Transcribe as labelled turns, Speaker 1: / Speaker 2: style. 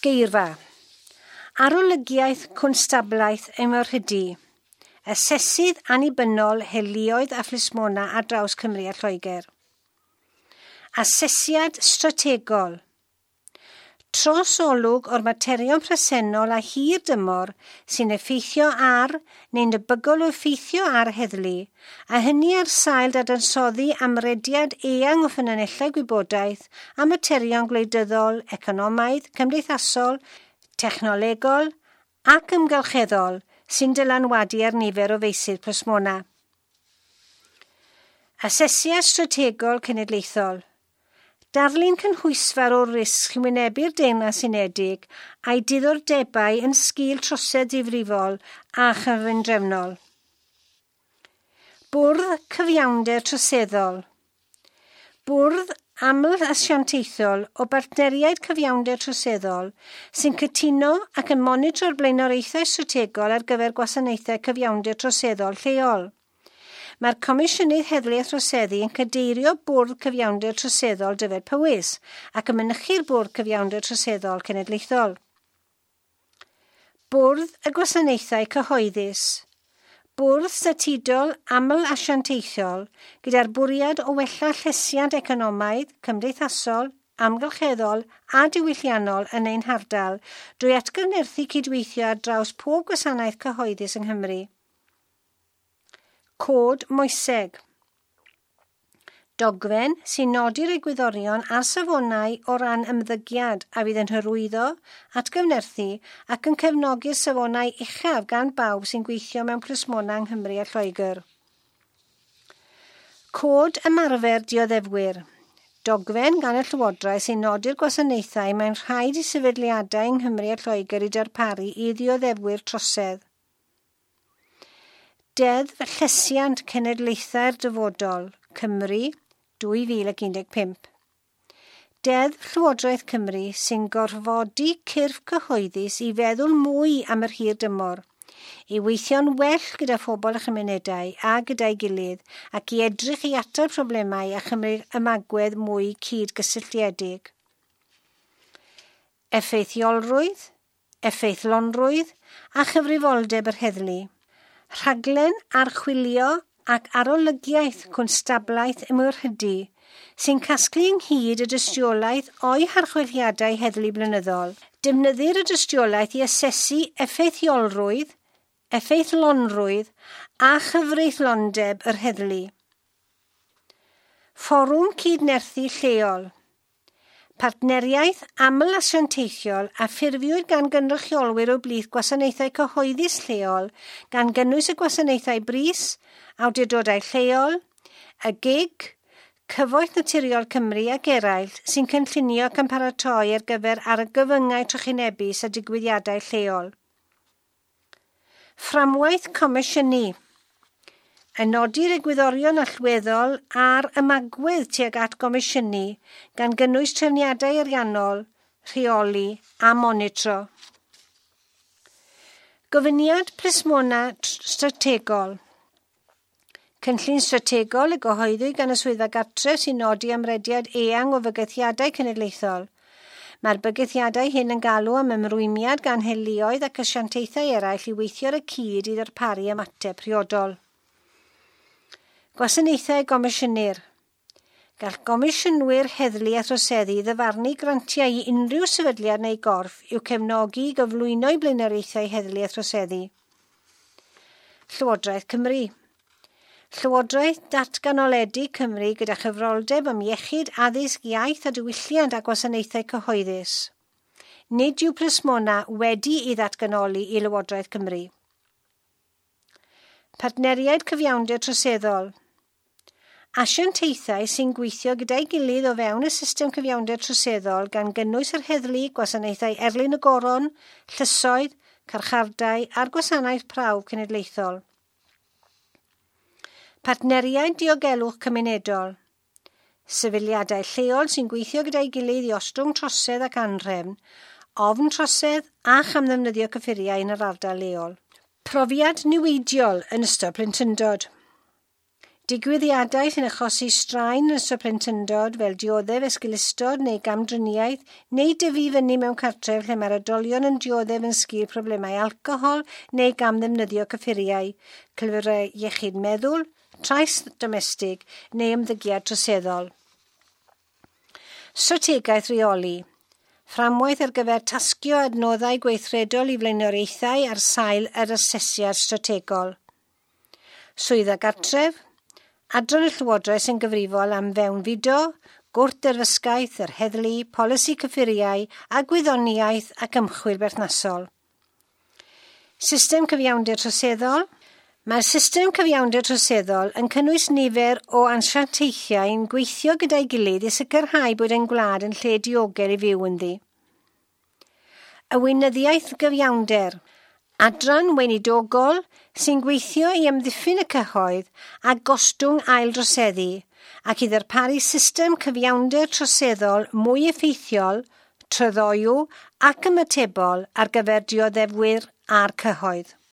Speaker 1: Geirfa. Arolygiaeth Cwnstablaeth Ymwrhydu. Asesydd annibynnol heluoedd a phlismona ar draws Cymru a Lloegr. Asesiad strategol. Trosolwg o'r materion presennol a hir dymor sy'n effeithio ar neu'n debygol o effeithio ar heddlu, a hynny ar sail dadansoddi amrediad eang o ffynonellau gwybodaeth a materion gwleidyddol, economaidd, cymdeithasol, technolegol ac ymgylcheddol sy'n dylanwadu ar nifer o feysydd plismona. Asesiad strategol cenedlaethol. Darlun cynhwysfawr o'r risg sy'n wynebu'r Deyrnas Unedig a'i diddordebau yn sgil trosedd difrifol a chyfundrefnol. Bwrdd Cyfiawnder Troseddol. Bwrdd aml-asiantaethol o bartneriaid cyfiawnder troseddol sy'n cytuno ac yn monitro'r blaenoriaethau strategol ar gyfer gwasanaethau cyfiawnder troseddol lleol. Mae'r Comisiynydd Heddlu a Throseddu yn cadeirio Bwrdd Cyfiawnder Troseddol Dyfed Powys ac yn mynychu'r Bwrdd Cyfiawnder Troseddol Cenedlaethol. Bwrdd y Gwasanaethau Cyhoeddus. Bwrdd statudol aml-asiantaethol gyda'r bwriad o wella llesiant economaidd, cymdeithasol, amgylcheddol a diwylliannol yn ein hardal drwy atgyfnerthu cydweithio ar draws pob gwasanaeth cyhoeddus yng Nghymru. Cod moeseg. Dogfen sy'n nodi'r egwyddorion a'r safonau o ran ymddygiad a fydd yn hyrwyddo, atgyfnerthu ac yn cefnogi'r safonau uchaf gan bawb sy'n gweithio mewn plismona yng Nghymru a Lloegr. Cod ymarfer dioddefwyr. Dogfen gan y Llywodraeth sy'n nodi'r gwasanaethau mae'n rhaid i sefydliadau yng Nghymru a Lloegr i darparu i ddioddefwyr trosedd. Deddf Llesiant Cenedlaethau'r Dyfodol, Cymru, 2015. Deddf Llywodraeth Cymru sy'n gorfodi cyrff cyhoeddus i feddwl mwy am yr hir dymor, i weithio'n well gyda phobl a chymunedau a gyda'i gilydd ac i edrych i atal problemau a chymryd ymagwedd mwy cyd-gysylltiedig. Effeithiolrwydd, effeithlonrwydd a chyfrifoldeb yr heddlu. Rhaglen archwilio ac arolygiaeth cwnstablaeth ymwrhydu sy'n casglu ynghyd y dystiolaeth o'i harchwiliadau heddlu blynyddol. Defnyddir y dystiolaeth i asesu effeithiolrwydd, effeithlonrwydd a chyfreithlondeb yr heddlu. Fforwm Cydnerthu Lleol. Partneriaeth aml-asiantaethiol a ffurfiwyd gan gynrychiolwyr o blith gwasanaethau cyhoeddus lleol gan gynnwys y gwasanaethau brys, awdurdodau lleol, y GIG, Cyfoeth Naturiol Cymru ac eraill sy'n cynllunio ac yn paratoi ar gyfer argyfyngau trychinebus a digwyddiadau lleol. Fframwaith Comisiynu. Yn nodi'r egwyddorion allweddol a'r ymagwedd tuag at gomisiynu gan gynnwys trefniadau ariannol, rheoli a monitro. Gofyniad plismona strategol. Cynllun strategol y gyhoeddwyd gan y Swyddfa Gartref sy'n nodi amrediad eang o fygythiadau cenedlaethol. Mae'r bygythiadau hyn yn galw am ymrwymiad gan heluoedd ac asiantaethau eraill i weithio ar y cyd i ddarparu ymateb priodol. Gwasanaethau gomisiynir. Gall gomisiynwyr heddlu a throseddu ddyfarnu grantiau i unrhyw sefydliad neu gorff i'w cefnogi i gyflwyno i blaenoriaethau heddlu a throseddu. Llywodraeth Cymru. Llywodraeth Datganoledig Cymru gyda chyfroldeb am iechyd, addysg, iaith a diwylliant a gwasanaethau cyhoeddus. Nid yw plismona wedi ei ddatganoli i Lywodraeth Cymru. Partneriaid cyfiawnder troseddol. Asiantaethau sy'n gweithio gyda'i gilydd o fewn y system cyfiawnder troseddol gan gynnwys yr heddlu, gwasanaethau erlyn y goron, llysoedd, carchardai a'r gwasanaeth prawf cenedlaethol. Partneriaid diogelwch cymunedol. Sefydliadau lleol sy'n gweithio gyda'i gilydd i ostwng trosedd ac anrhefn, ofn trosedd a chamddefnyddio cyffuriau yn yr ardal leol. Profiad niweidiol yn ystod plentyndod. Digwyddiadau sy'n achosi straen yn ystod plentyndod fel dioddef esgeulustod neu gamdriniaeth neu dyfu fyny mewn cartref lle mae'r oedolion yn dioddef yn sgil problemau alcohol neu gamddefnyddio cyffuriau, cyflyrau iechyd meddwl, trais domestig neu ymddygiad troseddol. Strategaeth reoli. Fframwaith ar gyfer tasgio adnoddau gweithredol i flaenoriaethau ar sail yr asesiad strategol. Swyddfa Gartref, adran y Llywodraeth sy'n gyfrifol am fewnfudo, gwrth-derfysgaeth, yr heddlu, polisi cyffuriau a gwyddoniaeth ac ymchwil berthnasol. System cyfiawnder troseddol. Mae'r system cyfiawnder troseddol yn cynnwys nifer o asiantaethau yn gweithio gyda'i gilydd i sicrhau bod ein gwlad yn lle diogel i fyw ynddi. Y weinyddiaeth gyfiawnder. Adran weinidogol sy'n gweithio i amddiffyn y cyhoedd a gostwng aildroseddu ac i ddarparu system cyfiawnder troseddol mwy effeithiol, tryloyw ac ymatebol ar gyfer dioddefwyr a'r cyhoedd.